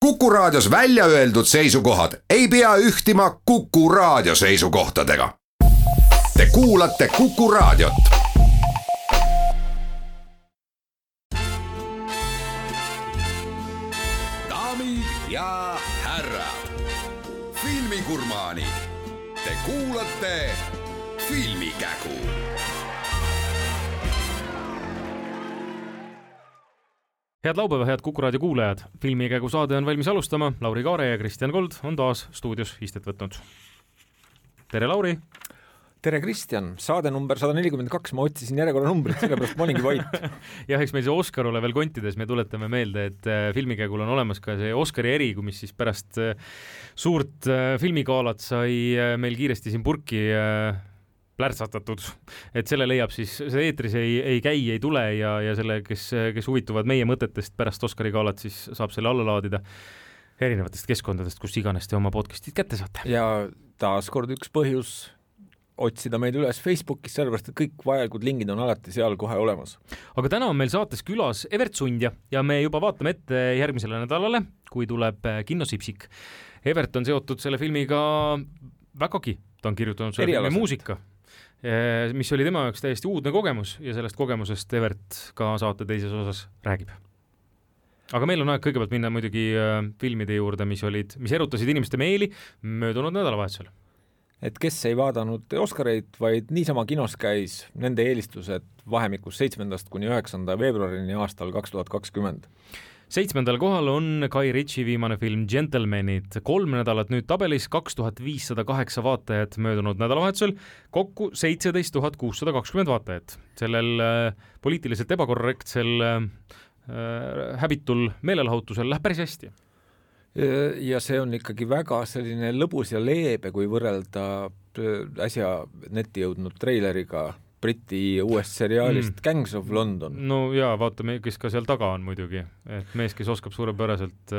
Kuku Raadios välja öeldud seisukohad ei pea ühtima Kuku Raadio seisukohtadega. Te kuulate Kuku Raadiot. Daamid ja härrad, filmigurmaanid, te kuulate Filmikägu. Head laupäeva, head Kuku Raadio kuulajad. Filmikägu saade on valmis alustama. Lauri Kaare ja Kristjan Kold on taas stuudios istet võtnud. Tere, Lauri! Tere, Kristjan! Saade number 142, ma otsisin järjekorra numbrit, sellepärast ma olingi vait. Jah, eks meil see Oscar ole veel kontides, me tuletame meelde, et Filmikägul on olemas ka see Oscari eri, mis siis pärast suurt filmigaalat sai meil kiiresti siin purki plärtsatatud, et selle leiab siis, see eetris ei käi, ei tule ja selle, kes huvituvad meie mõtetest pärast Oscari gaalat, siis saab selle alla laadida erinevatest keskkondadest, kus iganes te oma podcastid kätte saate. Ja taas kord üks põhjus otsida meid üles Facebookis, sellepärast, et kõik vajalikud lingid on alati seal kohe olemas. Aga täna on meil saates külas Evert Sundja ja me juba vaatame ette järgmisele nädalale, kui tuleb Kinno Sipsik. Evert on seotud selle filmiga vägagi, ta on kirjutanud selle filmi muusika, mis oli tema jaoks täiesti uudne kogemus ja sellest kogemusest Evert ka saate teises osas räägib. Aga meil on aeg kõigepealt minna muidugi filmide juurde, mis erutasid inimeste meeli möödunud nädalavahetusel. Et kes ei vaadanud Oscareid, vaid niisama kinos käis, nende eelistused vahemikus 7. kuni 9. veebruarini aastal 2020. 7. kohal on Guy Ritchie viimane film Gentlemanid. 3 nädalat nüüd tabelis, 2508 vaatajat möödunud nädalavahetusel, kokku 17 620 vaatajat. Sellel poliitiliselt ebakorrektsel häbitul meelelahutusel läheb päris hästi. Ja see on ikkagi väga selline lõbus ja leebe, kui võrrelda äsja netti jõudnud treileriga Briti uuest seriaalist Gangs of London. No jaa, vaatame, kes ka seal taga on muidugi. Et mees, kes oskab suurepäraselt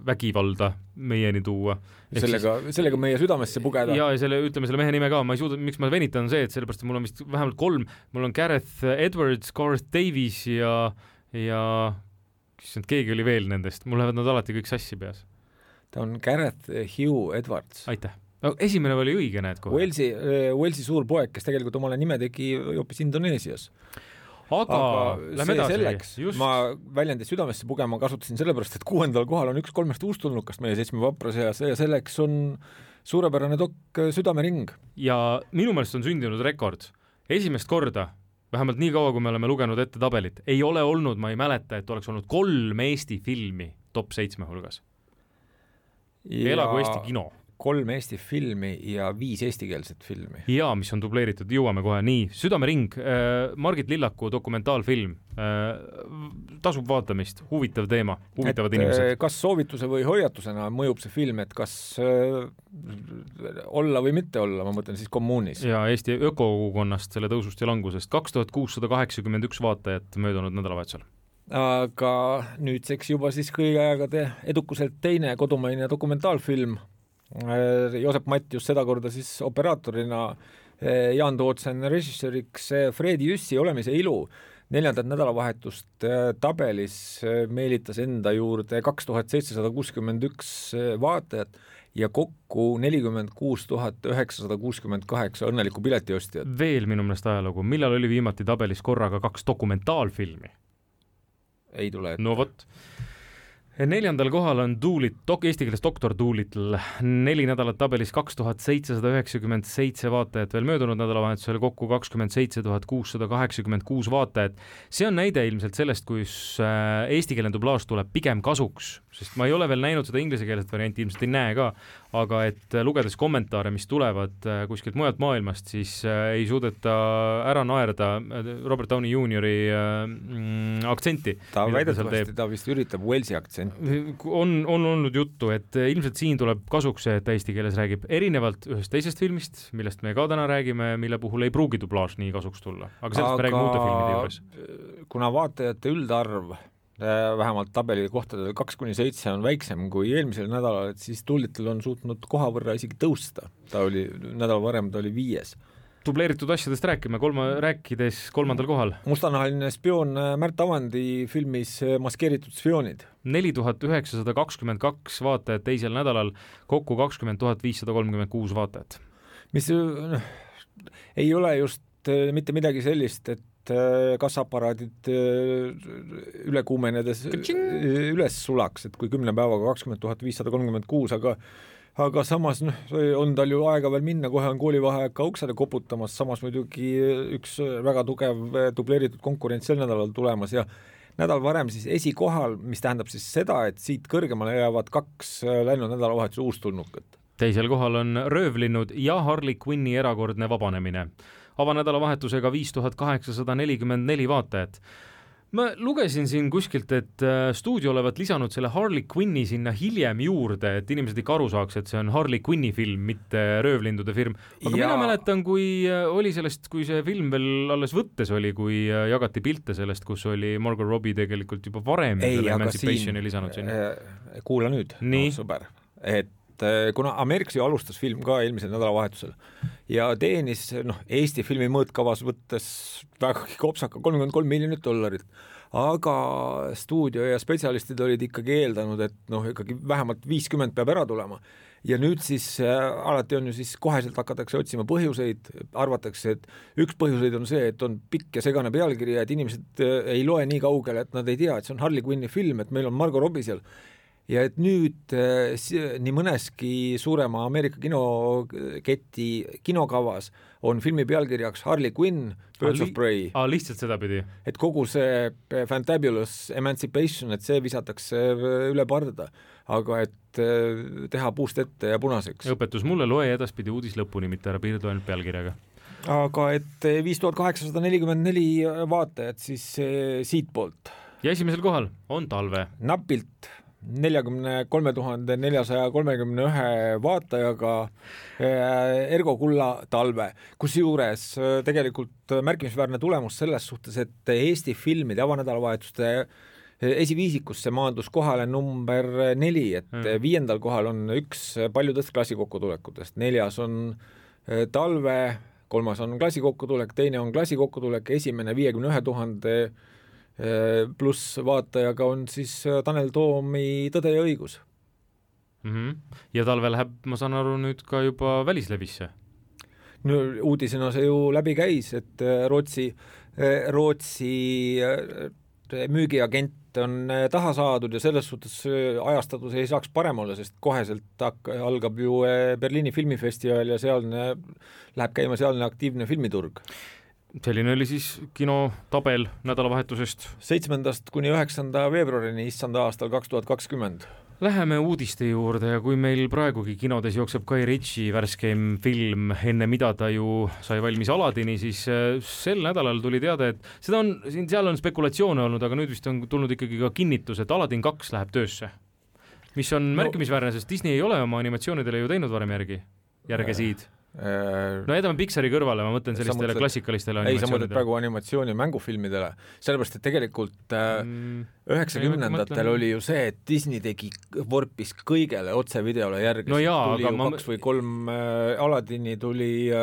vägivalda meieni tuua. Sellega meie südamesse pugeda. Ja ütleme selle mehe nime ka. Ma ei suuda, miks ma venitan see, et sellepärast mul on vist vähemalt 3. Mul on Gareth Edwards, Gareth Davies ja keegi oli veel nendest. Mul lähevad nad alati kõik sassi peas. Ta on Gareth Hugh Edwards. Aitäh. No, esimene oli õige, näed kohe. Walesi suur poeg, kes tegelikult omale nime tegi hoopis Indoneesias. Aga lähme edasi. Selleks, ma väljendi südamesse pugema kasutasin sellepärast, et 6. kohal on üks 3 uustulnukast meie 7 vapra seas ja selleks on suurepärane dokk Südamering. Ja minu meelest on sündinud rekord. Esimest korda, vähemalt nii kaua, kui me oleme lugenud ette tabelit, ei ole olnud, ma ei mäleta, et oleks olnud 3 Eesti filmi top 7 hulgas. Elagu Eesti kino. 3 Eesti filmi ja 5 eestikeelset filmi. Ja, mis on dubleeritud, jõuame kohe nii. Südamering, Margit Lillaku dokumentaalfilm, tasub vaatamist, huvitav teema, huvitavad inimesed. Kas soovituse või hoiatusena mõjub see film, et kas olla või mitte olla, ma mõtlen siis kommuunis. Ja Eesti ökokogukonnast, selle tõusust ja langusest, 2681 vaatajat möödunud nädalavahetusel. Aga nüüdseks juba siis kõigi aegade edukuselt teine kodumaine dokumentaalfilm. Joosep Matt just seda korda siis operaatorina, Jaan Tootsen režissööriks, Fredi Jüssi Olemise ilu 4. nädalavahetust tabelis meelitas enda juurde 2761 vaatajat ja kokku 46 968 õnnelikku piletiostjat. Veel minu meelest ajalugu, millal oli viimati tabelis korraga 2 dokumentaalfilmi? Ei tule ette. No vot. 4. kohal on eesti keeles Doktor Doolittle, 4 nädalat tabelis 2797 vaatajat, veel möödunud nädalavahetusel kokku 27 686 vaatajat. See on näide ilmselt sellest, kus eestikeelne dublaaž tuleb pigem kasuks, sest ma ei ole veel näinud seda ingliskeelset varianti, ilmselt ei näe ka, aga et lugedes kommentaare, mis tulevad kuskilt mujalt maailmast, siis ei suudeta ära naerda Robert Downey Juniori aktsenti. Ta väidetavasti, ta vist üritab Walesi aktsenti. On olnud juttu, et ilmselt siin tuleb kasuks see, et eesti keeles räägib erinevalt ühest teisest filmist, millest me ka täna räägime, mille puhul ei pruugi dublaaž nii kasuks tulla. Aga sellest me räägime uute filmide juures. Kuna vaatajate üldarv vähemalt tabeli kohtadel 2-7 on väiksem kui eelmisel nädalal, et siis Doolittle on suutnud koha võrra isegi tõusta. Ta oli nädal varem, ta oli 5. dubleeritud asjadest rääkides 3. kohal. Mustanahaline spioon Märt Avandi filmis Maskeeritud spioonid. 4922 vaatajat teisel nädalal, kokku 20 536 vaatajat. Mis ei ole just mitte midagi sellist, et kassaaparaadid üle kuumenedes üles sulaks, et kui 10 päevaga 20 536, aga samas on tal ju aega veel minna, kohe on koolivaheaeg ka uksele koputamas, samas muidugi üks väga tugev dubleeritud konkurents sel nädalal tulemas ja nädal varem siis esikohal, mis tähendab siis seda, et siit kõrgemale jäävad 2 läinud nädalavahetuse uustulnukat. Teisel kohal on Röövlinnud ja Harley Quinni erakordne vabanemine. Avanädalavahetusega 5844 vaatajat. Ma lugesin siin kuskilt, et stuudio olevat lisanud selle Harley Quinni sinna hiljem juurde, et inimesed ikka aru saaks, et see on Harley Quinni film, mitte Röövlindude film. Aga mina mäletan, kui oli sellest, kui see film veel alles võttes oli, kui jagati pilte sellest, kus oli Margot Robbie tegelikult juba varem Emancipationi lisanud sinna. Kuula nüüd, sõber, et kuna Ameerikas ju alustas film ka eelmisel nädalavahetusel ja teenis Eesti filmi mõõtkavas võttes väga kopsaka $33 miljonit, aga stuudio ja spetsialistid olid ikkagi eeldanud, et ikkagi vähemalt 50 peab ära tulema. Ja nüüd siis alati on ju siis koheselt hakatakse otsima põhjuseid, arvatakse, et üks põhjuseid on see, et on pikk ja segane pealkiri ja et inimesed ei loe nii kaugele, et nad ei tea, et see on Harley Quinni film, et meil on Margot Robbie seal. Ja et nüüd nii mõneski suurema Ameerika kinoketi kinokavas on filmi pealkirjaks Harley Quinn, Birds of Prey. Lihtsalt seda pidi. Et kogu see Fantabulous Emancipation, et see visatakse üle parda, aga et teha puust ette ja punaseks. Õpetus mulle, loe edaspidi uudis lõpuni, mitte ära piirdu ainult pealkirjaga. Aga et 5844 vaatajat siis siitpoolt. Ja esimesel kohal on Talve. Napilt 43 431 vaatajaga Ergo Kulla Talve, kus juures tegelikult märkimisväärne tulemus selles suhtes, et Eesti filmide avanädalavahetuste esiviisikusse maandus kohale number 4, et 5. kohal on üks paljudest klassikokkutulekutest, 4. on Talve, 3. on klassikokkutulek, 2. on klassikokkutulek, esimene 51 000 pluss vaatajaga on siis Tanel Toomi Tõde ja õigus. Ja Talve läheb, ma saan aru, nüüd ka juba välislevisse? No, uudisena see ju läbi käis, et Rootsi müügiagent on taha saadud ja selles suhtes ajastatus ei saaks parem olla, sest koheselt algab ju Berliini filmifestival ja sealne läheb käima sealne aktiivne filmiturg. Selline oli siis kinotabel nädalavahetusest 7. kuni 9. veebruarini issanda aastal 2020. Läheme uudiste juurde ja kui meil praegugi kinodes jookseb Guy Ritchie värskeim film, enne mida ta ju sai valmis Aladini, siis sel nädalal tuli teada, et seal on spekulatsioone olnud, aga nüüd vist on tulnud ikkagi ka kinnitus, et Aladin 2 läheb töösse. Mis on märkimisväärne, sest Disney ei ole oma animatsioonidele ju teinud varem järgesid. No jätame Pixari kõrvale, ma mõtlen sellistele klassikalistele animatsioonidele. Ei, sa mõtled praegu animatsiooni mängufilmidele, sellepärast, et tegelikult 90-ndatel oli ju see, et Disney vorpis kõigele otsevideole järgi. No jaa, tuli ju 2 või 3 Aladini tuli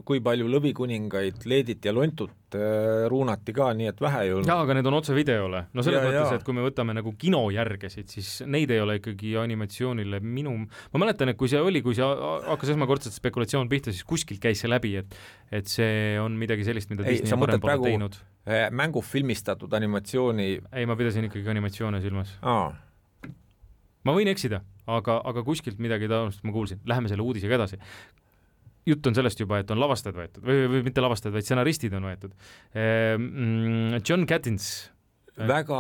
kui palju Lõvikuningaid, Leedit ja Lontut ruunati ka, nii et vähe ju. Jaa, aga need on otsevideole. No selles mõttes, et kui me võtame nagu kino järgesid, siis neid ei ole ikkagi animatsioonile ma mäletan, et kui see hakkas esmakordselt spekulatsioon pihta, siis kuskilt käis see läbi, et see on midagi sellist, mida Disney varem pole teinud. Mängufilmistatud animatsiooni. Ei, ma pidasin ikkagi animatsioone silmas. Ma võin eksida, aga kuskilt midagi taolist ma kuulsin. Läheme selle uudisega edasi. Jutt on sellest juba, et on lavastajad võetud või mitte lavastajad, vaid stsenaristid on võetud. John Gattins. Väga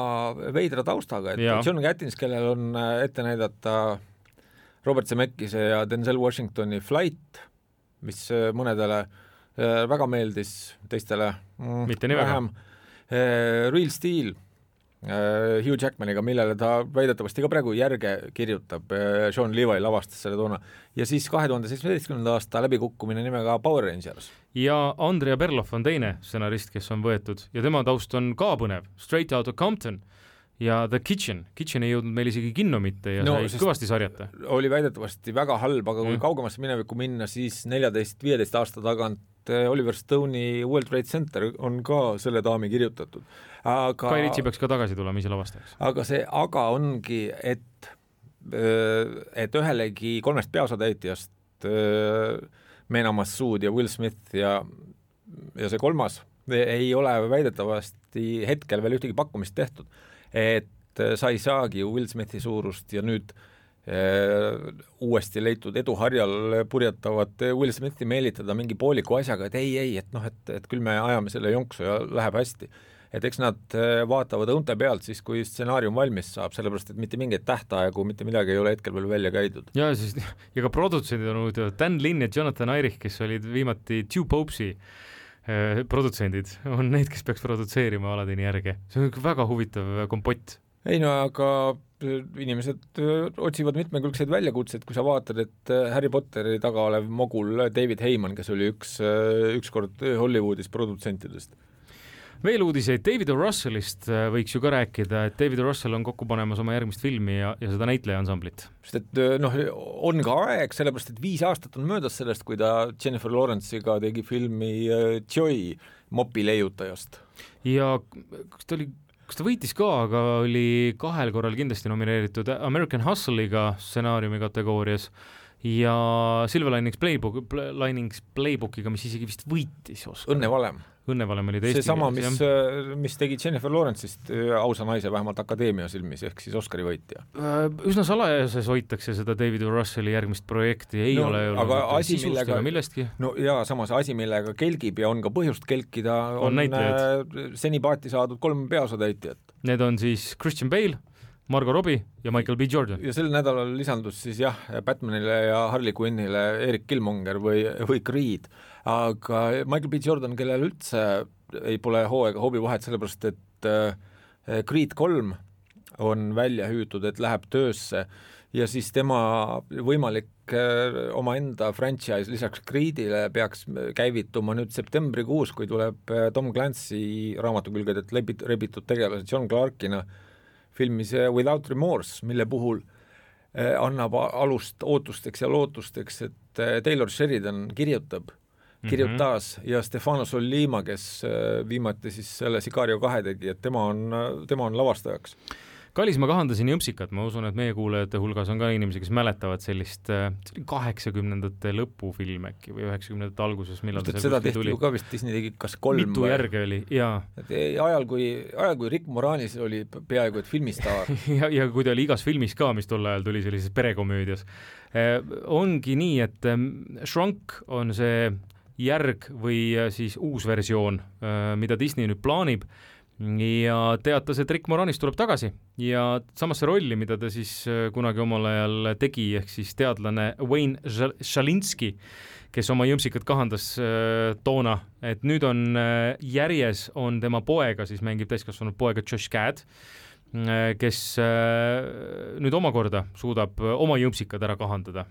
veidra taustaga, et John Gattins, kellel on ette näidata Robert Zemeckise ja Denzel Washingtoni Flight, mis mõnedele väga meeldis, teistele mitte nii väga. Real Steel Hugh Jackmaniga, millele ta väidetavasti ka praegu järge kirjutab, Sean Levi lavastas selle toona, ja siis 2017. aasta läbikukkumine nimega Power Rangers. Ja Andrea Berloff on teine stsenarist, kes on võetud ja tema taust on ka põnev, Straight Outta Compton ja The Kitchen ei jõudnud meil isegi kinno mitte ja sai kõvasti sarjata. Oli väidetavasti väga halb, aga kui kaugemasse minevikku minna, siis 14-15 aasta tagant Oliver Stone'i World Trade Center on ka selle daami kirjutatud. Guy Ritchie peaks ka tagasi tulema ise lavastajaks. Aga see ongi, et ühelegi 3 peaosatäitjast Mena Massoud ja Will Smith ja see 3 ei ole väidetavasti hetkel veel ühtegi pakkumist tehtud, et sa ei saagi Will Smithi suurust ja nüüd uuesti leitud eduharjal purjetavad Will Smithi meelitada mingi pooliku asjaga, et ei, et küll me ajame selle jonksu ja läheb hästi. Et eks nad vaatavad õunte pealt siis, kui stsenaarium valmis saab, sellepärast, et mitte mingeid tähtaegu, mitte midagi ei ole hetkel veel välja käidud. Ja ka produtsendid on huvitavad, Dan Lin ja Jonathan Eirich, kes olid viimati Two Popes'i produtsendid, on need, kes peaks produtseerima Aladini järge. See on väga huvitav kompott. Ei aga inimesed otsivad mitmekülgseid väljakutseid, kui sa vaatad, et Harry Potteri taga olev mogul David Heyman, kes oli ükskord Hollywoodis produtsentidest. Veel uudiseid David O. Russellist võiks ju ka rääkida, et David O. Russell on kokku panemas oma järgmist filmi ja seda näitleja ansamblit. Sest et on ka aeg, sellepärast et 5 aastat on möödas sellest, kui ta Jennifer Lawrence'iga tegi filmi Joy mopi leiutajast. Ja kas ta võitis ka, aga oli 2 korral kindlasti nomineeritud American Hustle'iga stsenaariumi kategoorias ja Silver Linings Playbookiga, mis isegi vist võitis Oscar. Õnnevalem oli see sama, mis tegi Jennifer Lawrence'ist ausa naise vähemalt akadeemia silmis, ehk siis Oscari võitja. Üsna salajases hoitakse seda David O. Russelli järgmist projekti, ei ole sisust ega millestki. No ja samas asi, millega kelgib ja on ka põhjust kelkida, on seni paati saadud 3 peaosatäitjat. Need on siis Christian Bale, Margot Robbie ja Michael B. Jordan. Ja sel nädalal lisandus siis Batmanile ja Harley Quinnile Eric Killmonger või Creed, aga Michael B. Jordan, kellel üldse ei pole hoobi vahet, sellepärast et Creed 3 on välja hüütud, et läheb töösse ja siis tema võimalik omaenda franchise lisaks Creedile peaks käivituma nüüd septembrikuus, kui tuleb Tom Clancy raamatukülgedelt rebitud tegelase John Clarkina filmis Without Remorse, mille puhul annab alust ootusteks ja lootusteks, et Taylor Sheridan kirjutas ja Stefano Sollima, kes viimati siis selle Sicario 2 tegi, et tema on lavastajaks. Kallis, ma kahandasin Jõmpsikat, ma usun, et meie kuulajate hulgas on ka inimesi, kes mäletavad sellist 80ndate lõpufilm äkki või 90ndate alguses, millal see seda tehti tuli. Ju ka vist Disney tegi kas 3 mitu järge oli, jaa. Ajal, kui Rick Moranis oli peaaegu et filmistaar. ja kui ta oli igas filmis ka, mis tol ajal tuli sellises perekomöödias. Ongi nii, et Shrunk on see järg või siis uus versioon, mida Disney nüüd plaanib, ja teatas, et Rick Moranis tuleb tagasi ja samasse rolli, mida ta siis kunagi omal ajal tegi, ehk siis teadlane Wayne Shalinski, kes oma Jõmpsikat kahandas toona, et nüüd on järjes on tema poega, siis mängib täiskasvanud poega Josh Gad, kes nüüd omakorda suudab oma Jõmpsikad ära kahandada.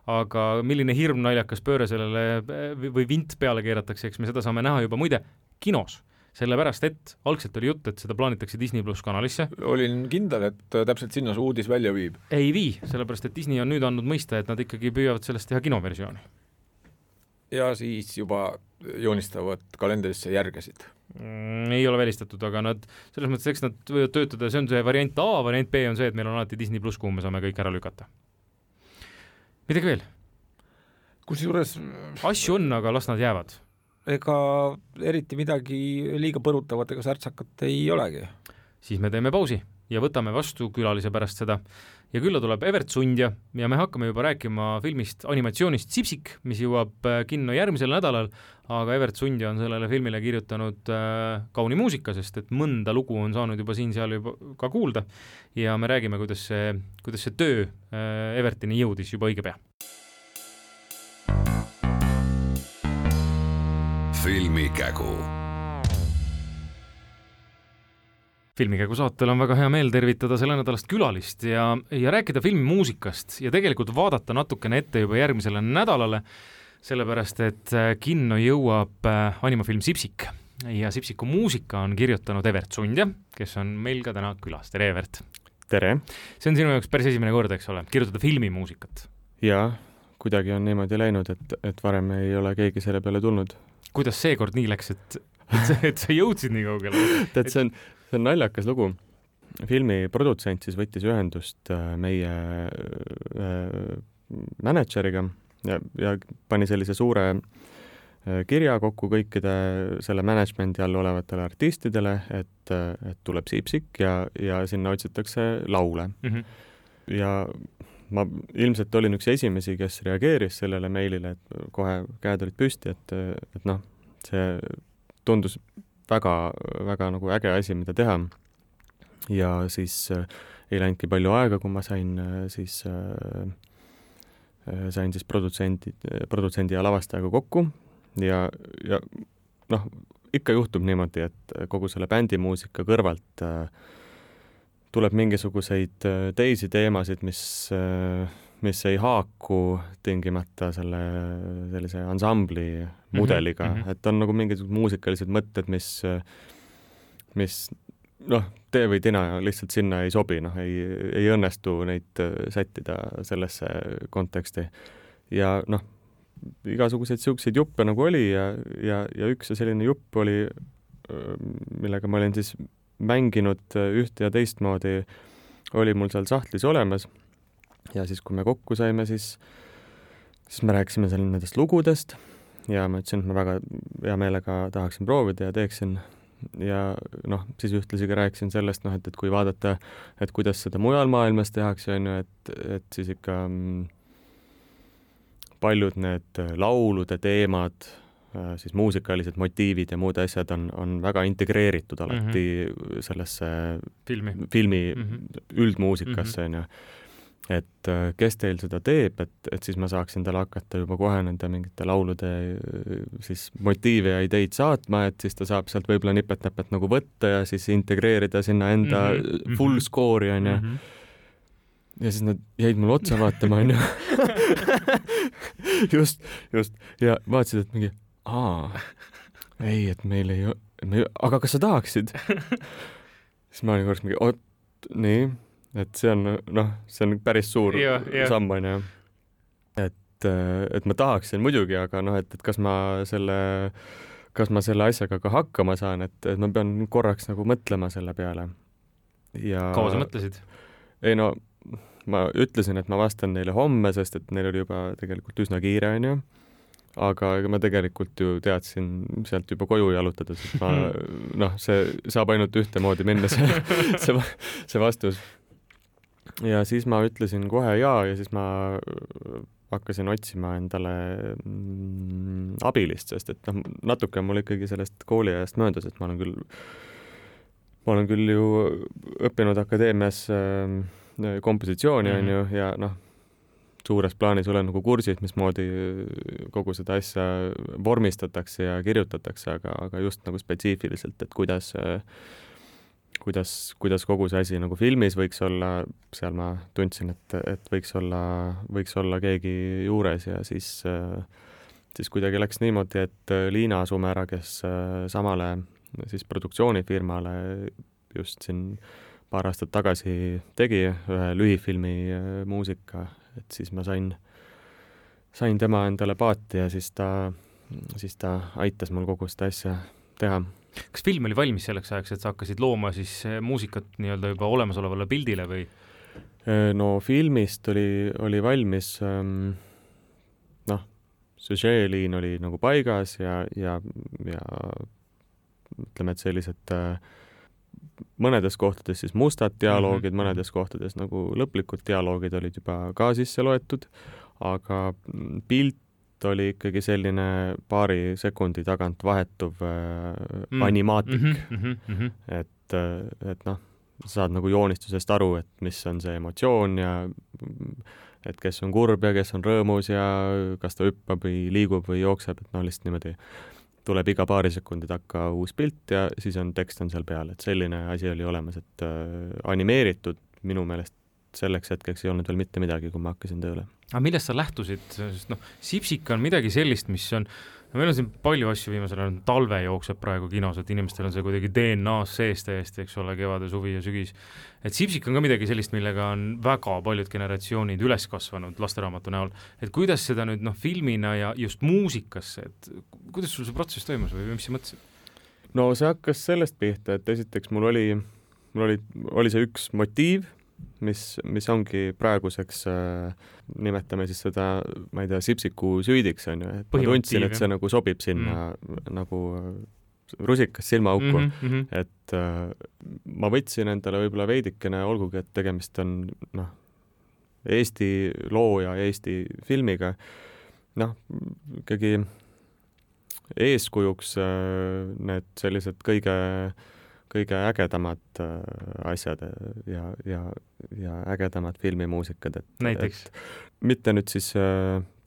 Aga milline hirm naljakas pööre sellele või vint peale keeratakse, eks me seda saame näha juba muide kinos. Sellepärast, et algselt oli jutt, et seda plaanitakse Disney Plus kanalisse. Olin kindel, et täpselt sinna see uudis välja viib. Ei vii, sellepärast, et Disney on nüüd andnud mõista, et nad ikkagi püüavad sellest teha kinoversiooni. Ja siis juba joonistavad kalendrisse järgesid. Ei ole välistatud, aga nad, selles mõttes, eks nad võivad töötada, see on see variant A, variant B on see, et meil on alati Disney Plus, kuhu me saame kõik ära lükata. Midagi veel? Kusjuures asju on, aga las nad jäävad. Ega eriti midagi liiga põrutavat ega särtsakat ei olegi. Siis me teeme pausi ja võtame vastu külalise pärast seda. Ja külla tuleb Evert Sundja ja me hakkame juba rääkima filmist animatsioonist Sipsik, mis jõuab kinno järgmisel nädalal, aga Evert Sundja on sellele filmile kirjutanud kauni muusika, sest et mõnda lugu on saanud juba siin-seal juba ka kuulda ja me räägime, kuidas see töö Evertini jõudis juba õige pea. Filmikägu. Filmikägu saatel on väga hea meel tervitada selle nädalast külalist ja rääkida filmimuusikast ja tegelikult vaadata natukene ette juba järgmisele nädalale, sellepärast et kinno jõuab animafilm Sipsik. ja Sipsiku muusika on kirjutanud Evert Sundja, kes on meil ka täna külas. Tere, Evert! Tere! See on sinu jaoks päris esimene kord, eks ole, kirjutada filmimuusikat? Jaa, kuidagi on niimoodi läinud, et varem ei ole keegi selle peale tulnud. Kuidas see kord nii läks, et sa jõudsid nii kaugele? Tead, see on naljakas lugu. Filmi produtsent siis võttis ühendust meie manager'iga ja pani sellise suure kirja kokku kõikide selle managemendi all olevatele artistidele, et tuleb Sipsik ja sinna otsitakse laule. Ja ma ilmselt olin üks esimesi, kes reageeris sellele meilile, et kohe käed olid püsti, et noh, see tundus väga, väga nagu äge asi, mida teha. Ja siis ei läinudki palju aega, kui ma sain siis produtsendi ja lavastajaga kokku ja noh, ikka juhtub niimoodi, et kogu selle bändimuusika kõrvalt tuleb mingisuguseid teisi teemasid, mis ei haaku tingimata sellise ansambli mudeliga, et on nagu mingisugused muusikalised mõtted, mis noh, tee või tina lihtsalt sinna ei sobi, noh, ei õnnestu neid sättida sellesse konteksti. Ja noh, igasuguseid siukseid juppe nagu oli ja üks selline jupp oli, millega ma olin siis mänginud ühte ja teistmoodi, oli mul seal sahtlis olemas. Ja siis, kui me kokku saime, siis me rääkisime seal nendest lugudest ja ma ütlesin, et ma väga hea meelega tahaksin proovida ja teeksin. Ja noh, siis ühtlasi ka rääkisin sellest, noh, et kui vaadata, et kuidas seda mujal maailmas tehakse, on ju, et siis ikka paljud need laulude teemad, siis muusikalised motiivid ja muud asjad on väga integreeritud alati sellesse filmi üldmuusikasse, on ju. Et kes teil seda teeb, et siis ma saaksin talle hakata juba kohe nende mingite laulude siis motiive ja ideid saatma, et siis ta saab sealt võib-olla nipet-näpet nagu võtta ja siis integreerida sinna enda full score'i, on ju. Ja siis nad jäid mulle otsa vaatama, on ju. Just. Ja vaatasid, et mingi, ei, et meil ei ole, aga kas sa tahaksid? Siis ma olin korraks mingi, nii. Et see on päris suur samm, on ju. Et ma tahaksin muidugi, aga noh, et kas ma selle asjaga ka hakkama saan, et ma pean korraks nagu mõtlema selle peale. Kaua sa mõtlesid? Ei no, ma ütlesin, et ma vastan neile homme, sest et neil oli juba tegelikult üsna kiire, on ju. Aga ma tegelikult ju teadsin sealt juba koju jalutada, sest see saab ainult ühtemoodi minna see vastus. Ja siis ma ütlesin kohe ja siis ma hakkasin otsima endale abilist, sest et natuke mul ikkagi sellest kooliajast möödas, et ma olen küll ju õppinud akadeemias kompositsiooni, on ju, ja suures plaanis olen nagu kursis, mismoodi kogu seda asja vormistatakse ja kirjutatakse, aga just nagu spetsiifiliselt, et kuidas kogu see asi nagu filmis võiks olla, seal ma tundsin, et võiks olla keegi juures ja siis kuidagi läks niimoodi, et Liina Sumära, kes samale siis produktsioonifirmale just siin paar aastat tagasi tegi ühe lühifilmi muusika, et siis ma sain tema endale paati ja siis ta aitas mul kogu seda asja teha. Kas film oli valmis selleks ajaks, et sa hakkasid looma siis muusikat nii-öelda juba olemasolevale pildile või? No filmist oli valmis, süžeeliin oli nagu paigas ja ütleme, et sellised mõnedes kohtades siis mustad dialoogid, mõnedes kohtades nagu lõplikud dialoogid olid juba ka sisse loetud, aga pilt oli ikkagi selline paari sekundi tagant vahetuv animaatik. Et saad nagu joonistusest aru, et mis on see emotsioon ja et kes on kurb ja kes on rõõmus ja kas ta hüppab või liigub või jookseb, et lihtsalt niimoodi tuleb iga paari sekundi takka uus pilt ja siis on tekst on seal peal, et selline asi oli olemas, et animeeritud minu meelest selleks hetkeks ei olnud veel mitte midagi, kui ma hakkasin tööle. Aga millest sa lähtusid? Sest Sipsika on midagi sellist, mis on no meil on siin palju asju viimasel ajal, talve jookseb praegu kinos, et inimestel on see kuidagi DNA-s sees täiesti, eks ole, kevade, suvi ja sügis. Et Sipsik on ka midagi sellist, millega on väga paljud generatsioonid üles kasvanud lasteraamatu näol. Et kuidas seda nüüd filmina ja just muusikasse, et kuidas sul see protsess toimus või mis sa mõtlesid? No see hakkas sellest pihta, et esiteks mul oli see üks motiiv, mis ongi praeguseks, nimetame siis seda, ma ei tea, Sipsiku süüdiks, on ju, et ma tundsin, et see nagu sobib sinna nagu rusikas silmaauku, et ma võtsin endale võib-olla veidikene, olgugi, et tegemist on Eesti looja Eesti filmiga, ikkagi eeskujuks need sellised kõige ägedamad asjad ja ägedamad filmimuusikad, näiteks? Mitte nüüd siis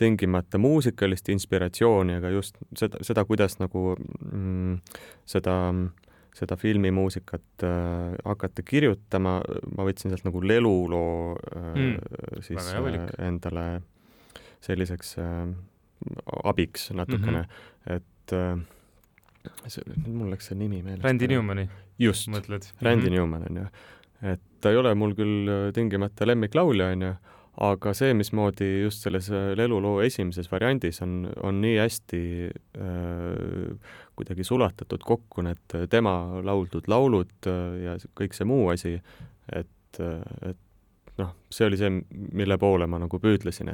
tingimata muusikalist inspiratsiooni, aga just seda kuidas nagu seda filmimuusikat hakata kirjutama, ma võtsin sealt nagu leluloo siis endale selliseks abiks natukene, et mul läks see nimi meelest. Randy Newmani? Just, Randy Newman on ju. Et ta ei ole mul küll tingimata lemmiklaulja on ju, aga see, mismoodi just selles leluloo esimeses variandis on nii hästi kuidagi sulatatud kokku need tema lauldud laulud ja kõik see muu asi, et see oli see, mille poole ma nagu püüdlesin,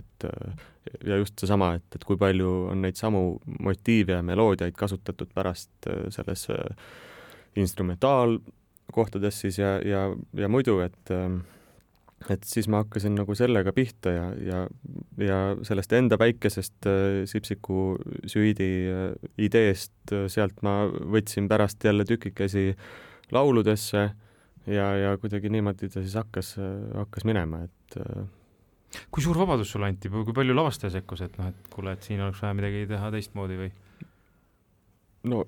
ja just seesama, et kui palju on neid samu motiive ja meloodiaid kasutatud pärast selles instrumentaalkohtades siis ja muidu, et siis ma hakkasin nagu sellega pihta ja sellest enda väikesest Sipsiku süüdi ideest sealt ma võtsin pärast jälle tükikesi lauludesse ja kuidagi niimoodi ta siis hakkas minema, et Kui suur vabadus sulle anti, kui palju lavastaja sekkus, et kuule, et siin oleks vaja midagi teha teistmoodi või? No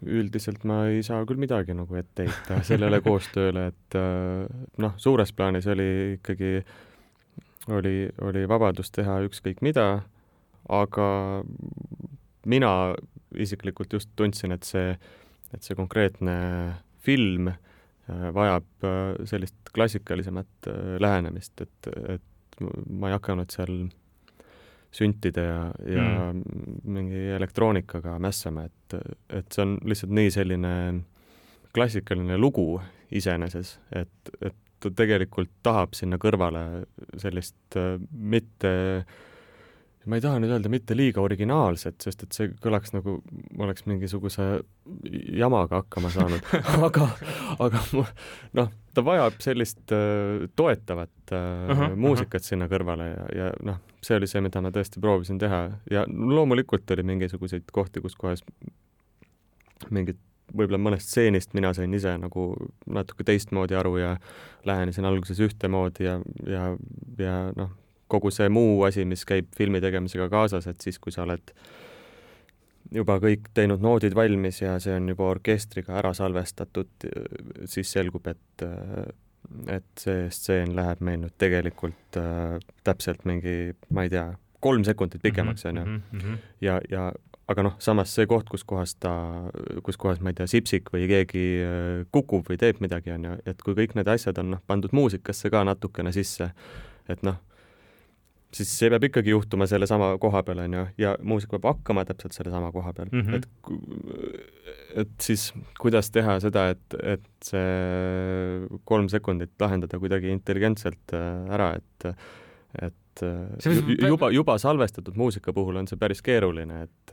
üldiselt ma ei saa küll midagi nagu ette heita sellele koostööle, et suures plaanis oli ikkagi oli vabadus teha ükskõik mida, aga mina isiklikult just tundsin, et see konkreetne film vajab sellist klassikalisemat lähenemist, et ma ei hakanud seal süntide ja mingi elektroonikaga mässama, et see on lihtsalt nii selline klassikaline lugu iseeneses, et ta tegelikult tahab sinna kõrvale sellist ma ei taha nüüd öelda mitte liiga originaalset, sest et see kõlaks nagu ma oleks mingisuguse jamaga hakkama saanud, aga ta vajab sellist toetavat muusikat sinna kõrvale ja see oli see, mida ma tõesti proovisin teha ja loomulikult oli mingisuguseid kohti, kus kohas mingid võib-olla mõnest stseenist mina sain ise nagu natuke teistmoodi aru ja lähenesin alguses ühtemoodi ja kogu see muu asi, mis käib filmi tegemisega kaasas, et siis, kui sa oled juba kõik teinud noodid valmis ja see on juba orkestriga ära salvestatud, siis selgub, et see stseen läheb meil nüüd tegelikult täpselt mingi, ma ei tea, 3 sekundit pikemaks, on ju. Aga samas see koht, kus kohas, ma ei tea, Sipsik või keegi kukub või teeb midagi, on ju, et kui kõik need asjad on pandud muusikasse ka natukene sisse, et siis see peab ikkagi juhtuma selle sama koha peal, on ju, ja muusik peab hakkama täpselt selle sama koha peal. Et siis kuidas teha seda, et see 3 sekundit lahendada kuidagi intelligentselt ära, et juba salvestatud muusika puhul on see päris keeruline, et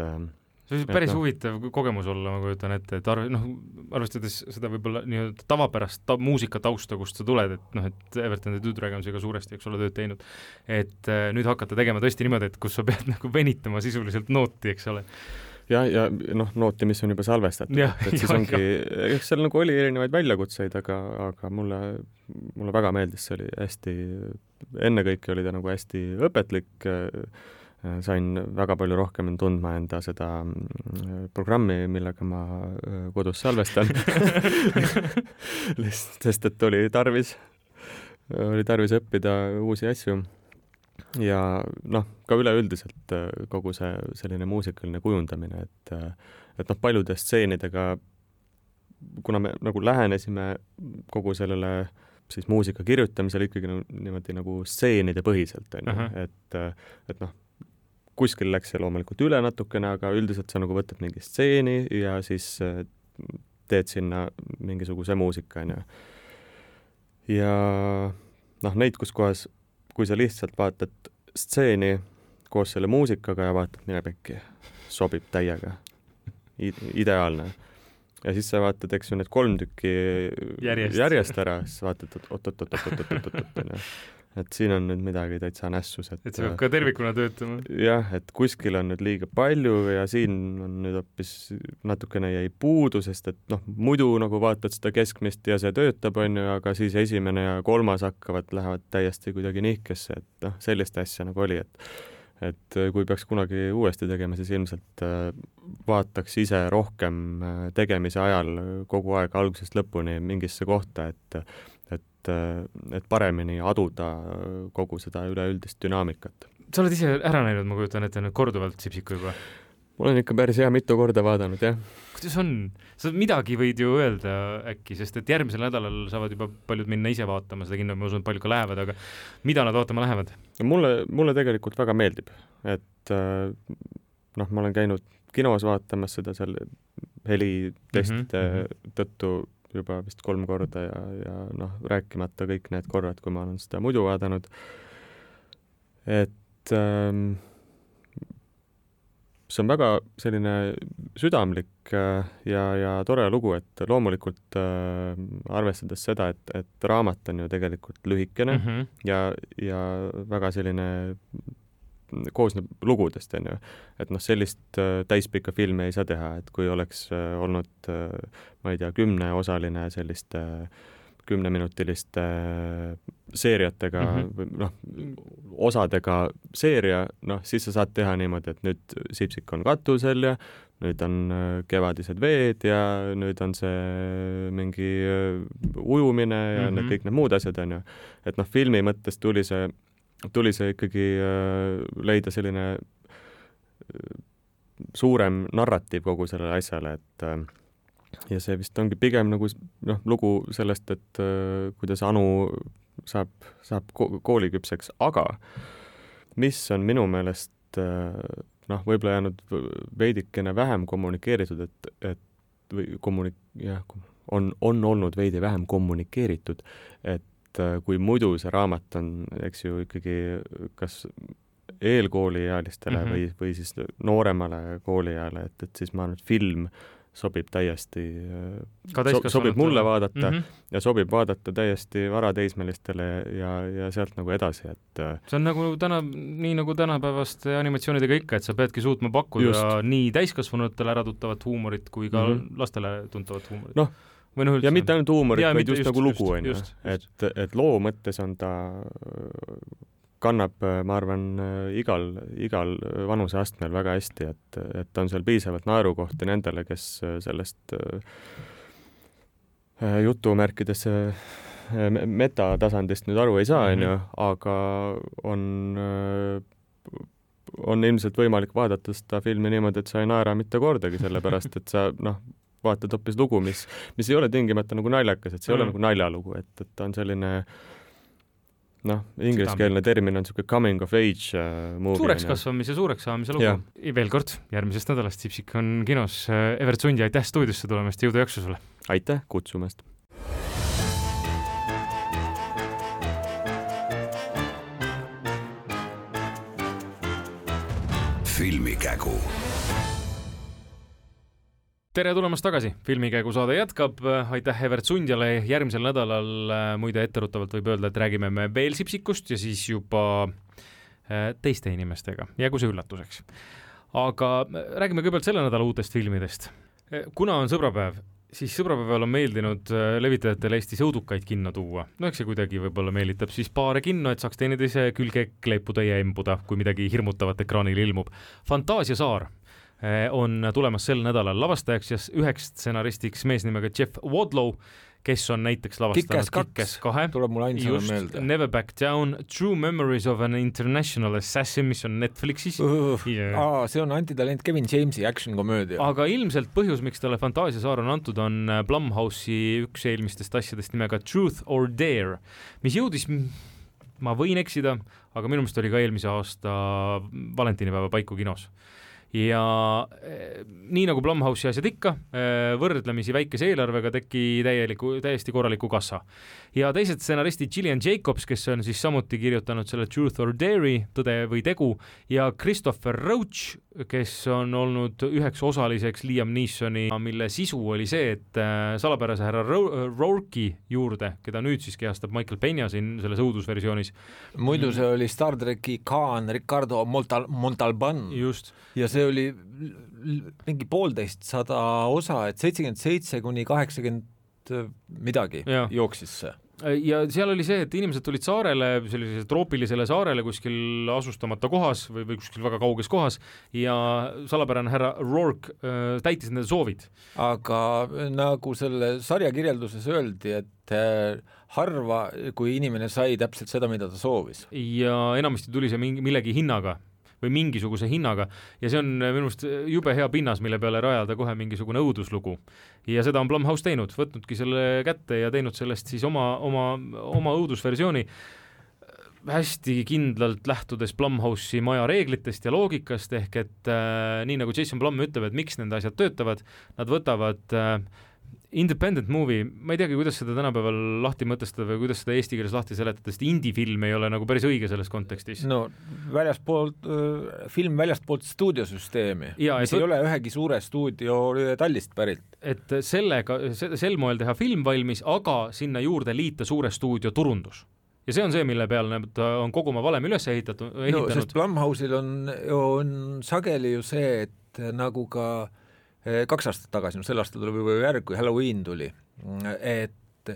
see on päris huvitav kogemus olla, ma kujutan ette, et arvestades seda võib-olla nii-öelda tavapärast muusika tausta, kust sa tuled, et Everton ja Two Dragonsiga suuresti, eks ole, tööd teinud, et nüüd hakata tegema tõesti niimoodi, et kus sa pead nagu venitama sisuliselt nooti, eks ole. Ja nooti, mis on juba salvestatud, et siis ongi, eks seal nagu oli erinevaid väljakutseid, aga mulle väga meeldis, see oli hästi, ennekõike oli ta nagu hästi õpetlik, sain väga palju rohkem tundma enda seda programmi, millega ma kodus salvestan, sest et oli tarvis õppida uusi asju. ja noh, ka üleüldiselt kogu see selline muusikaline kujundamine, et noh, paljude stseenidega, kuna me nagu lähenesime kogu sellele siis muusika kirjutamisel ikkagi niimoodi nagu stseenide põhiselt, et noh, kuskil läks see loomulikult üle natukene, aga üldiselt sa nagu võtad mingi stseeni ja siis teed sinna mingisuguse muusika, ja noh, neid, kus kohas, kui sa lihtsalt vaatad stseeni koos selle muusikaga ja vaatad, mine pekki, sobib täiega, ideaalne. Ja siis sa vaatad, eks ju, need 3 tükki järjest ära, siis vaatad, oot, et siin on nüüd midagi täitsa nässus. Et see peab ka tervikuna töötama. Jah, et kuskil on nüüd liiga palju ja siin on nüüd hoopis natukene jäi puudu, sest et noh, muidu nagu vaatad seda keskmist ja see töötab, on ju, aga siis esimene ja 3 lähevad täiesti kuidagi nihkesse, et noh, sellist asja nagu oli, et kui peaks kunagi uuesti tegema, siis ilmselt vaataks ise rohkem tegemise ajal kogu aeg algusest lõpuni mingisse kohta, et paremini aduda kogu seda üleüldist dünaamikat. Sa oled ise ära näinud, ma kujutan ette nüüd korduvalt Sipsiku juba? Ma olen ikka päris hea mitu korda vaadanud, jah. Kuidas on? Sa midagi võid ju öelda äkki, sest et järgmisel nädalal saavad juba paljud minna ise vaatama seda kinno, ma usun, et palju ka lähevad, aga mida nad vaatama lähevad? Mulle tegelikult väga meeldib, et noh, ma olen käinud kinos vaatamas seda seal helitestide tõttu juba vist 3 korda ja noh, rääkimata kõik need korrad, kui ma olen seda muidu vaadanud. Et see on väga selline südamlik ja tore lugu, et loomulikult arvestades seda, et raamat on ju tegelikult lühikene ja väga selline koosneb lugudest, on ju. Et noh, sellist täispikka filmi ei saa teha, et kui oleks olnud, ma ei tea, 10-osaline selliste 10-minutiliste seeriatega, noh, osadega seeria, noh, siis sa saad teha niimoodi, et nüüd Sipsik on katusel ja nüüd on kevadised veed ja nüüd on see mingi ujumine ja kõik need muud asjad, on ju. Et noh, filmi mõttes tuli see ikkagi leida selline suurem narratiiv kogu sellele asjale, et ja see vist ongi pigem nagu noh, lugu sellest, et kuidas Anu saab kooliküpseks, aga mis on minu meelest noh, võib-olla jäänud veidikene vähem kommunikeeritud, on olnud veidi vähem kommunikeeritud, et kui muidu see raamat on, eks ju, ikkagi kas eelkooliealistele või siis nooremale kooliajale, et siis ma arvan, et film sobib täiesti, sobib mulle vaadata ja sobib vaadata täiesti varateismelistele ja sealt nagu edasi, et see on nagu nii nagu tänapäevaste animatsioonidega ikka, et sa peadki suutma pakkuda nii täiskasvanutele äratuttavat huumorit kui ka lastele tuntavat huumorit. Noh, ja mitte ainult huumorit, vaid just nagu lugu, on ju. Et loo mõttes on ta kannab, ma arvan, igal vanuseastmel väga hästi, et on seal piisavalt naerukohti nendele, kes sellest jutumärkides metatasandist nüüd aru ei saa, on ju, aga on ilmselt võimalik vaadata seda filmi niimoodi, et sa ei naera mitte kordagi, sellepärast, et sa noh, vaatad hoopis lugu, mis ei ole tingimata nagu naljakas, et see ei ole nagu naljalugu, et ta on selline noh, ingliskeelne termin on selline coming of age movie. Suureks kasvamise, suureks saamise lugu. Veel kord, järgmisest nädalast Sipsik on kinos. Evert Sundi, aitäh stuudiosse tulemast, jõudu jaksu sulle! Aitäh kutsumast! Filmikägu. Tere tulemast tagasi, Filmikäigu saade jätkab, aitäh Evert Sundjale, järgmisel nädalal muide etteruttavalt võib öelda, et räägime me veel Sipsikust ja siis juba teiste inimestega, jäägu see üllatuseks. Aga räägime kõigepealt selle nädala uutest filmidest. Kuna on sõbrapäev, siis sõbrapäeval on meeldinud levitajatele Eestis õudukaid kinno tuua. No eks see kuidagi võib-olla meelitab siis paare kinno, et saaks teineteise külge kleepuda ja embuda, kui midagi hirmutavat ekraanil ilmub. Fantaasia saar on tulemas sel nädalal lavastajaks ja üheks stsenaristiks mees nimega Jeff Wadlow, kes on näiteks lavastanud Kick-Ass 2, tuleb mul ainsana meelde. Never Back Down, True Memories of an International Assassin, mis on Netflixis. See on antitalent Kevin Jamesi action-komöödia. Aga ilmselt põhjus, miks talle Fantaasiasaar on antud, on Blumhouse'i üks eelmistest asjadest nimega Truth or Dare, mis jõudis, ma võin eksida, aga minu meelest oli ka eelmise aasta valentinipäeva paiku kinos. Ja nii nagu Blumhouse'i asjad ikka, võrdlemisi väikese eelarvega teki täiesti korraliku kassa. Ja teised stsenaristi Gillian Jacobs, kes on siis samuti kirjutanud selle Truth or Dare'i, tõde või tegu, ja Christopher Roach, kes on olnud üheks osaliseks Liam Neesoni, mille sisu oli see, et salapärase härra Rourke'i juurde, keda nüüd siis kehastab Michael Peña siin selles õudusversioonis. Muidu see oli Star Treki Khan Ricardo Montalban. Just. Ja see oli mingi 150 osa, et 77 kuni 80 midagi jooksis see. Ja seal oli see, et inimesed tulid saarele, sellisele troopilisele saarele kuskil asustamata kohas või kuskil väga kauges kohas ja salapärane härra Rourke täitis nende soovid. Aga nagu selle sarja kirjelduses öeldi, et harva, kui inimene sai täpselt seda, mida ta soovis. Ja enamasti tuli see millegi hinnaga või mingisuguse hinnaga ja see on minu arust jube hea pinnas, mille peale rajada kohe mingisugune õuduslugu. Ja seda on Blumhouse teinud, võtnudki selle kätte ja teinud sellest siis oma õudusversiooni hästi kindlalt lähtudes Blumhouse'i maja reeglitest ja loogikast, ehk et nii nagu Jason Blum ütleb, et miks nende asjad töötavad, nad võtavad independent movie, ma ei teagi, kuidas seda tänapäeval lahti mõtestada või kuidas seda eesti keeles lahti seletada, sest indie-film ei ole nagu päris õige selles kontekstis. No film väljastpoolt stuudiosüsteemi, mis ei ole ühegi suure stuudio tallist pärit. Et sel moel teha film valmis, aga sinna juurde liita suure stuudio turundus. Ja see on see, mille peale on kogu oma valem üles ehitanud. No, sest Blumhouse'il on sageli ju see, et nagu ka 2 aastat tagasi, sel aastal tuli või järg, kui Halloween tuli, et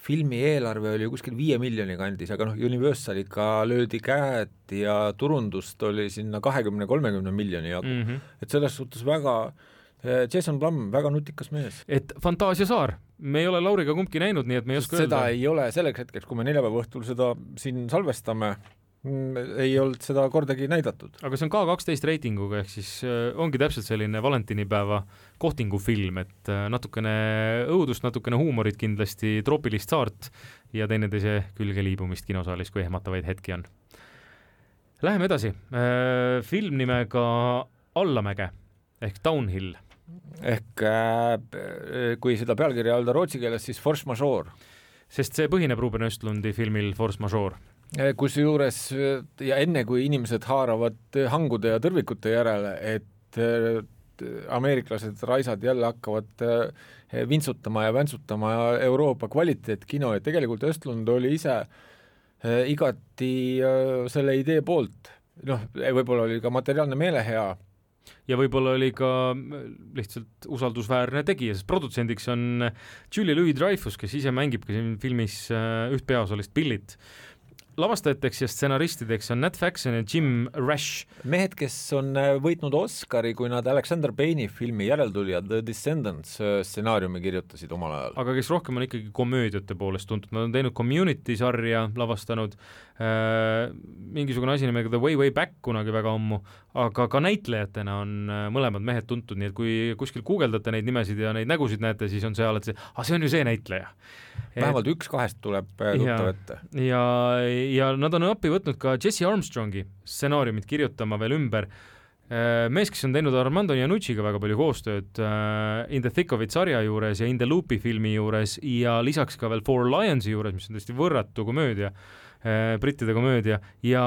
filmi eelarve oli kuskil 5 miljoni kandis, aga Universaliga löödi käed ja turundust oli sinna 20-30 miljoni jagu. Et selles suhtes väga Jason Blum, väga nutikas mees. Et Fantaasiasaar, me ei ole Lauriga kumbki näinud, nii et me ei oska öelda. Seda ei ole selleks hetkeks, kui me neljapäeva õhtul seda siin salvestame, ei olnud seda kordagi näidatud. Aga see on K12 reitinguga, ehk siis ongi täpselt selline valentinipäeva kohtingufilm, et natukene õudust, natukene huumorit kindlasti, troopilist saart ja teineteise külge liibumist kinosaalis, kui ehmatavaid hetki on. Läheme edasi. Film nimega Allamäge ehk Downhill. Ehk kui seda pealkirja öelda rootsi keeles, siis Force Majeure. Sest see põhineb Ruben Östlundi filmil Force Majeure. Kusjuures ja enne kui inimesed haaravad hangude ja tõrvikute järele, et ameeriklased raisad jälle hakkavad vintsutama ja väntsutama Euroopa kvaliteetkino, et tegelikult Östlund oli ise igati selle idee poolt. Võib-olla oli ka materiaalne meele hea. Ja võib-olla oli ka lihtsalt usaldusväärne tegija, sest produtsendiks on Julia Louis-Dreyfus, kes ise mängib ka siin filmis üht peaosalist Billit. Lavastajateks ja stsenaristideks on Nat Faxon ja Jim Rash. Mehed, kes on võitnud Oscari, kui nad Alexander Payne'i filmi järeltulijad The Descendants stsenaariumi kirjutasid omal ajal. Aga kes rohkem on ikkagi komöödiate poolest tuntud. Nad on teinud Community sarja, lavastanud mingisugune asi nimega The Way Back kunagi väga ammu, aga ka näitlejatena on mõlemad mehed tuntud, nii et kui kuskil guugeldate neid nimesid ja neid nägusid näete, siis on see alati see on ju see näitleja. Vähemalt 1-2 tuleb tuttav ette. Ja nad on appi võtnud ka Jesse Armstrongi stsenaariumit kirjutama veel ümber. Mees, kes on teinud Armando Iannucciga väga palju koostööd In the Thick of It sarja juures ja In the Loopi filmi juures ja lisaks ka veel Four Lionsi juures, mis on tõesti võrratu komöödia, brittide komöödia ja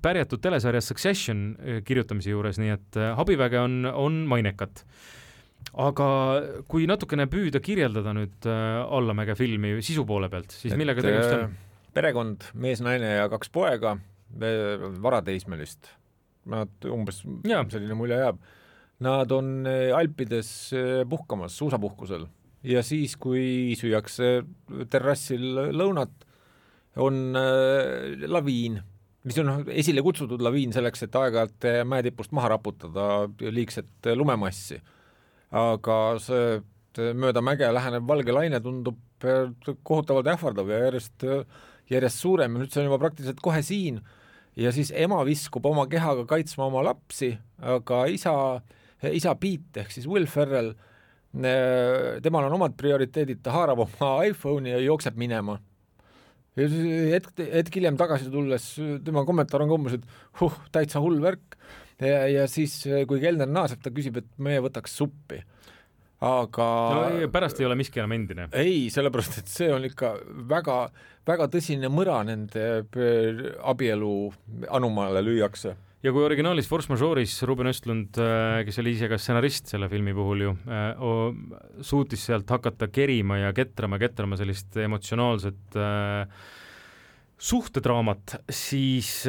pärjatud telesarja Succession kirjutamise juures, nii et Habiväge on mainekat. Aga kui natukene püüda kirjeldada nüüd Allamäge filmi sisu poole pealt, siis millega tegemist on? Perekond, mees, naine ja 2 poega, varateismelist. Nad umbes selline mulje jääb. Nad on Alpides puhkamas, suusapuhkusel ja siis, kui süüakse terrassil lõunat, on laviin, mis on esile kutsutud laviin selleks, et aeg-ajalt mäetipust maha raputada liigset lumemassi. Aga mööda mäge lähenev valge laine tundub kohutavalt ähvardav ja järjest suurem ja nüüd see on juba praktiliselt kohe siin ja siis ema viskub oma kehaga kaitsma oma lapsi, aga isa Pete ehk siis Will Ferrell, temal on omad prioriteedid, ta haarab oma iPhone'i ja jookseb minema. Ja hetk hiljem tagasi tulles tema kommentaar on umbes, et täitsa hull värk ja siis kui kelner naaseb, ta küsib, et meie võtaks suppi. Aga no, pärast ei ole miski enam endine. Ei, sellepärast, et see on ikka väga, väga tõsine mõra nende abielu anumaale lüüakse. Ja kui originaalis Force Majeure'is Ruben Östlund, kes oli ise ka stsenarist selle filmi puhul ju, suutis sealt hakata kerima ja ketrama sellist emotsionaalset suhtedraamat, siis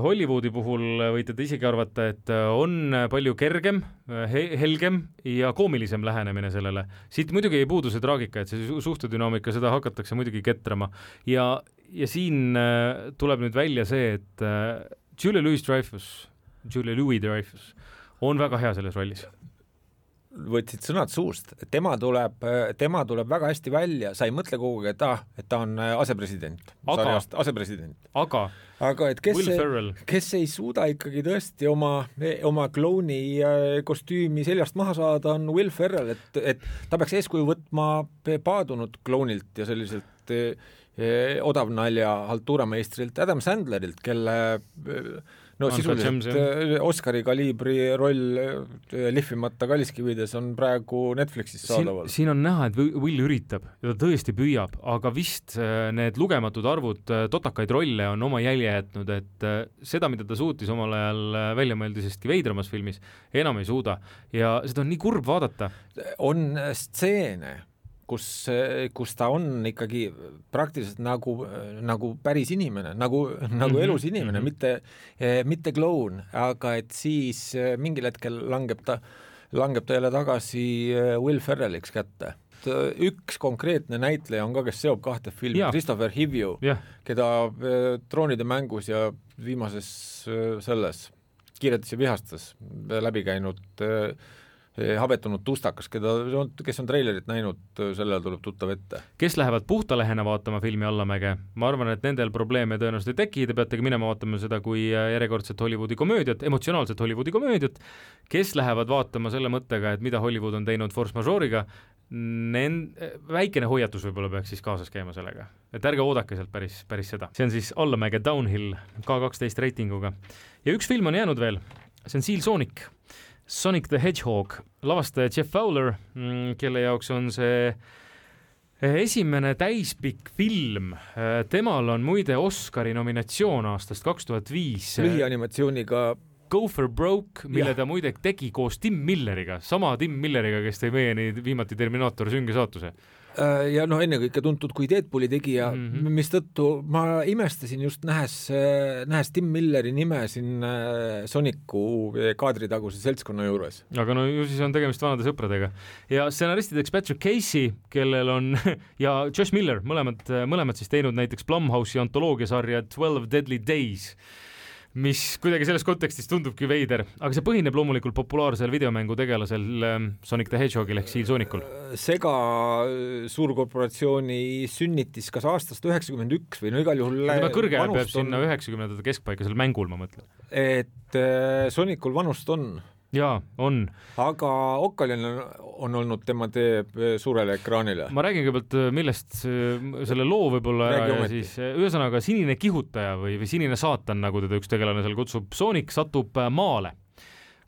Hollywoodi puhul võite te isegi arvata, et on palju kergem, helgem ja koomilisem lähenemine sellele. Siit muidugi ei puudu see traagika, et see suhtedünaamika, seda hakatakse muidugi ketrama. Ja siin tuleb nüüd välja see, et Julia Louis Dreyfus on väga hea selles rollis. Võtsid sõnad suust, tema tuleb väga hästi välja, sa ei mõtle kogu aeg, et ta on asepresident. Aga et kes ei suuda ikkagi tõesti oma klouni kostüümi seljast maha saada, on Will Ferrell, et ta peaks eeskuju võtma paadunud kloonilt ja selliselt odavnalja haltuurameistrilt Adam Sandlerilt, kelle sisuliselt Oscari kaliibri roll lihvimata kalliskivides on praegu Netflixis saadaval. Siin on näha, et Will üritab ja ta tõesti püüab, aga vist need lugematud arvud totakaid rolle on oma jälje jätnud, et seda, mida ta suutis omal ajal välja mõeldisestki veidramas filmis, enam ei suuda ja seda on nii kurb vaadata. On stseene, kus ta on ikkagi praktiliselt nagu päris inimene, nagu elus inimene, mitte kloun, aga et siis mingil hetkel langeb ta jälle tagasi Will Ferrelliks kätte. Üks konkreetne näitleja on ka, kes seob kahte filmi, Christopher Hivju, keda Troonide mängus ja viimases selles Kiiretes ja vihastes läbi käinud habetunud tustakas, kes on treilerit näinud, sellele tuleb tuttav ette. Kes lähevad puhtalehena vaatama filmi Allamäge? Ma arvan, et nendel probleeme tõenäoliselt ei teki, te peategi minema vaatama seda kui järjekordset Hollywoodi komöödiat, emotsionaalset Hollywoodi komöödiat. Kes lähevad vaatama selle mõttega, et mida Hollywood on teinud Force Majeure'iga, väikene hoiatus võib-olla peaks siis kaasas käima sellega. Et ärge oodake sealt päris seda. See on siis Allamäge Downhill K12 reitinguga. Ja üks film on jäänud veel, see on Seal Sonic the Hedgehog, lavastaja Jeff Fowler, kelle jaoks on see esimene täispikk film. Temal on muide Oscari nominatsioon aastast 2005. Lühianimatsiooniga Go for Broke, mille ta muide tegi koos Tim Milleriga, sama Tim Milleriga, kes tõi meieni viimati Terminaator süngesaatuse. Ja ennekõike tuntud kui Deadpooli tegija, mistõttu ma imestasin just nähes Tim Milleri nime siin Sonicu kaadritaguse seltskonna juures. Aga no ju siis on tegemist vanade sõpradega. Ja stsenaristideks Patrick Casey, kellel on ja Josh Miller, mõlemad siis teinud näiteks Blumhouse'i antoloogiasarja 12 Deadly Days, mis kuidagi selles kontekstis tundubki veider, aga see põhineb loomulikult populaarsel videomängu tegelasel Sonic the Hedgehogil ehk Seal Sonicul. Sega suurkorporatsiooni sünnitis kas aastast 91 või no igal juhul vanust kõrge peab sinna 90. keskpaika seal mängul, ma mõtlen. Et Sonicul vanust on. Jaa, on. Aga Occalin on olnud tema teeb suurele ekraanile. Ma räägin kõigepealt, millest selle loo võib-olla ära ja siis ühesõnaga sinine kihutaja või sinine saatan, nagu teda üks tegelane seal kutsub, Sonic satub maale.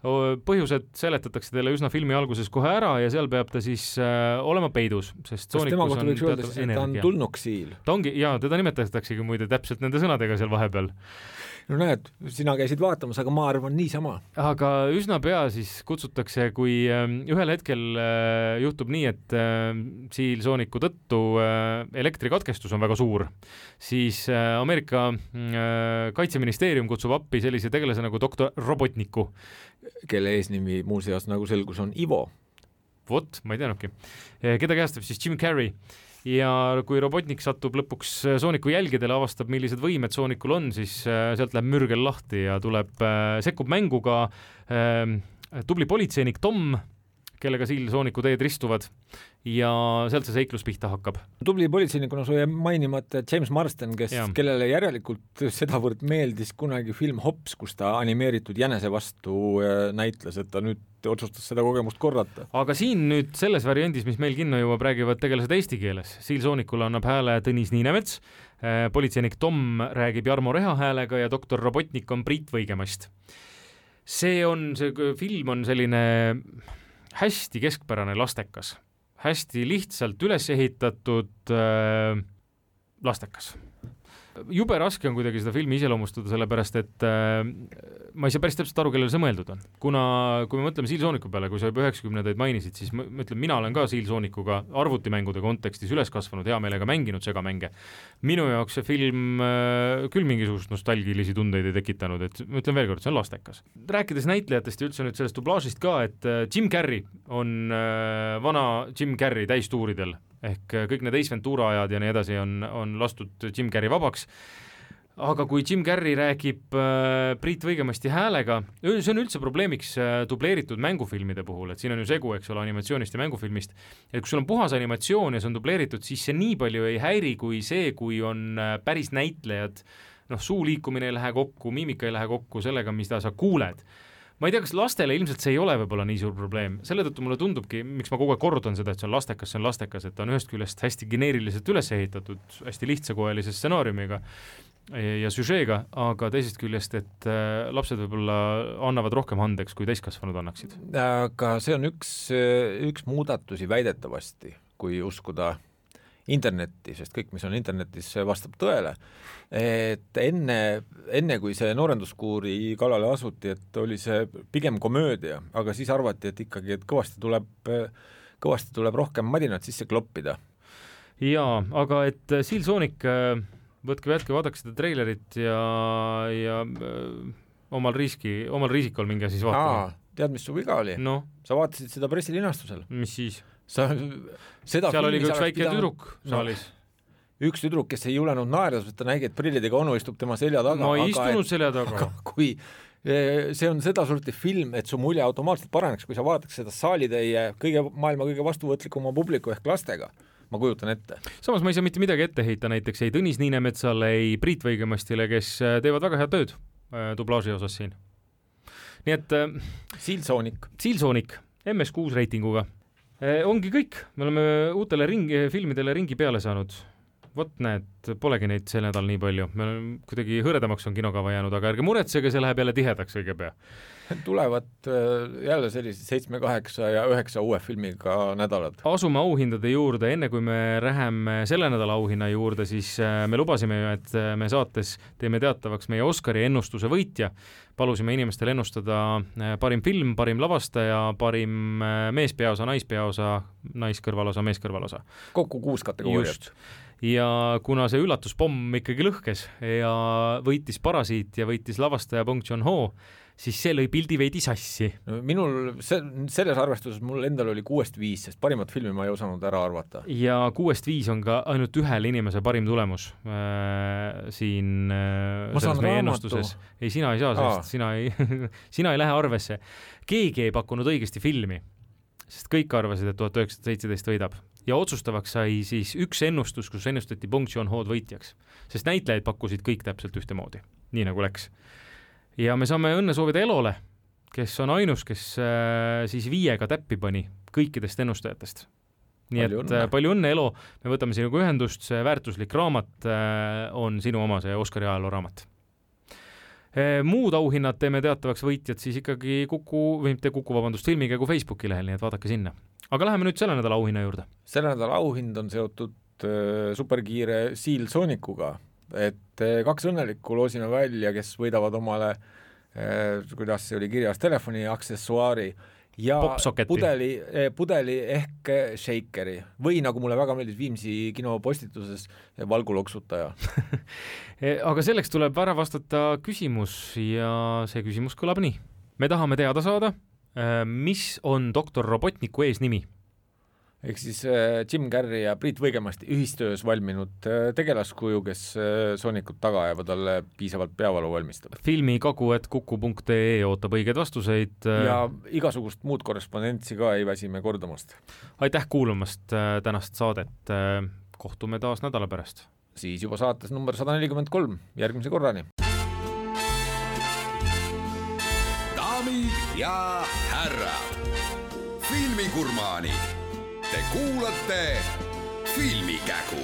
Põhjused seletatakse teile üsna filmi alguses kohe ära ja seal peab ta siis olema peidus, sest Sonicus on teatas energia. Ta on tulnuksiil. Ta ongi, jaa, teda nimetataksegi muide täpselt nende sõnadega seal vahepeal. No näed, sina käisid vaatamas, aga ma arvan niisama. Aga üsna pea siis kutsutakse, kui ühel hetkel juhtub nii, et Seal Sonicu tõttu elektrikatkestus on väga suur, siis Ameerika kaitseministeerium kutsub appi sellise tegelase nagu doktor Robotniku, kelle eesnimi muuseas nagu selgus on Ivo. Vot, ma ei teadnudki. Keda käestab siis Jim Carrey. Ja kui Robotnik satub lõpuks Sonicu jälgedele, avastab, millised võimed Sonicul on, siis sealt läheb mürgel lahti ja sekkub mänguga tubli politseinik Tom, kellega Siil-Sooniku teed ristuvad ja sealt see seiklus pihta hakkab. Tubli politseinikuna su jäi mainimata James Marsden, kellele järelikult sedavõrd meeldis kunagi film Hops, kus ta animeeritud jänese vastu näitles, et ta nüüd otsustas seda kogemust korrata. Aga siin nüüd selles variandis, mis meil kinno jõuab, räägivad tegelased eesti keeles. Siil-Soonikule annab hääle Tõnis Niinemets, politseinik Tom räägib Jarmo Reha häälega ja doktor Robotnik on Priit Võigemast. See film on selline hästi keskpärane lastekas, hästi lihtsalt üles ehitatud lastekas. Jube raske on kuidagi seda filmi iseloomustada, sellepärast et ma ei saa päris täpselt aru, kellele see mõeldud on. Kuna, kui me mõtleme Siil-Sooniku peale, kui sa juba 90-ndaid mainisid, siis ma ütlen, mina olen ka Siil-Soonikuga arvutimängude kontekstis üles kasvanud, hea meelega mänginud segamänge. Minu jaoks see film küll mingisugust nostalgilisi tundeid ei tekitanud, et ma ütlen veel kord, see on lastekas. Rääkides näitlejatest ja üldse nüüd sellest dublaažist ka, et Jim Carrey on vana Jim Carrey täistuuridel, ehk kõik need Ace Ventura ajad ja nii edasi on lastud Jim Carrey vabaks. Aga kui Jim Carrey räägib Priit Võigemasti häälega, see on üldse probleemiks dubleeritud mängufilmide puhul, et siin on ju segu, eks ole, animatsioonist ja mängufilmist, et kui sul on puhas animatsioon ja see on dubleeritud, siis see nii palju ei häiri kui see, kui on päris näitlejad, suu liikumine ei lähe kokku, miimika ei lähe kokku sellega, mis sa kuuled. Ma ei tea, kas lastele ilmselt see ei ole võib-olla nii suur probleem. Selle tõttu mulle tundubki, miks ma kogu aeg kordan seda, et see on lastekas, et ta on ühest küljest hästi geneeriliselt üles ehitatud, hästi lihtsakoelise stsenaariumiga ja süžeega, aga teisest küljest, et lapsed võib-olla annavad rohkem andeks, kui täiskasvanud annaksid. Aga see on üks muudatusi väidetavasti, kui uskuda internetti, sest kõik, mis on internetis, vastab tõele, et enne kui see noorenduskuuri kallale asuti, et oli see pigem komöödia, aga siis arvati, et ikkagi, et kõvasti tuleb rohkem madinat sisse kloppida. Jaa, aga et Siil-Soonik, võtke, vaadake seda treilerit ja omal riisikul minge siis vaatama. Tead, mis su viga oli? No. Sa vaatasid seda pressilinastusel. Mis siis? Seal oli üks väike tüdruk saalis. Üks tüdruk, kes ei julenud naerda, sest ta nägi, et prillidega onu istub tema selja taga. Ma ei istunud selja taga. Kui see on seda sorti film, et su mulje automaatselt paraneks, kui sa vaataks seda saalitäie maailma kõige vastuvõtlikuma publiku ehk lastega. Ma kujutan ette. Samas ma ei saa mitte midagi ette heita, näiteks ei Tõnis Niinemetsale, ei Priit Võigemastile, kes teevad väga head tööd dublaaži osas siin. Nii et Siil-Soonik, MS6 reitinguga. Ongi kõik, me oleme uutele filmidele ringi peale saanud. Vot näed, polegi neid sel nädal nii palju. Me kuidagi hõredamaks on kinokava jäänud, aga ärge muretsege, see läheb jälle tihedaks õige pea. Tulevad jälle sellised 7, 8 ja 9 uue filmiga nädalad. Asume auhindade juurde, enne kui me läheme selle nädala auhinna juurde, siis me lubasime ju, et me saates teeme teatavaks meie Oscari ennustuse võitja. Palusime inimestel ennustada parim film, parim lavastaja, parim meespeaosa, naispeaosa, naiskõrvalosa, meeskõrvalosa. Kokku 6 kategooriat. Ja kuna see üllatuspomm ikkagi lõhkes ja võitis Parasiit ja võitis lavastaja Bong Joon-ho, siis see lõi pildi veidi sassi. Minul selles arvestuses mul endal oli 6-5, sest parimat filmi ma ei osanud ära arvata. Ja 6-5 on ka ainult ühel inimese parim tulemus siin selles meie ennustuses. Ei, sina ei saa, sest sina ei lähe arvesse. Keegi ei pakkunud õigesti filmi, sest kõik arvasid, et 1917 võidab. Ja otsustavaks sai siis üks ennustus, kus ennustati Bong Joon-ho'd võitjaks, sest näitlejaid pakkusid kõik täpselt ühte moodi, nii nagu läks. Ja me saame õnne soovida Elole, kes on ainus, kes siis 5 täppi pani kõikidest ennustajatest. Nii et palju õnne, Elo, me võtame sinuga ühendust, see väärtuslik raamat on sinu oma, see Oscari ajaloo raamat. Muud auhinnad teeme teatavaks võitjad siis ikkagi filmikäigu Facebooki lehel, nii et vaadake sinna. Aga läheme nüüd selle nädala auhinna juurde. Selle nädala auhind on seotud superkiire Siil-Soonikuga, et 2 õnnelikku loosime välja, kes võidavad omale, kuidas see oli kirjas, telefoni aksessuaari ja pudeli ehk shakeri või nagu mulle väga meeldis Viimsi kino postituses valguloksutaja. Aga selleks tuleb ära vastata küsimus ja see küsimus kõlab nii. Me tahame teada saada, mis on doktor Robotniku eesnimi? ehk siis Jim Carrey ja Priit Võigemasti ühistöös valminud tegelaskuju, kes Soonikud taga ajavad talle piisavalt peavalu valmistab. filmikagu@kuku.ee ootab õigeid vastuseid. Ja igasugust muud korrespondentsi ka ei väsime kordamast. Aitäh kuulamast tänast saadet. Kohtume taas nädala pärast. Siis juba saates number 143. Järgmise korrani. Daamid ja härrad, filmigurmaanid. Te kuulate Filmikägu.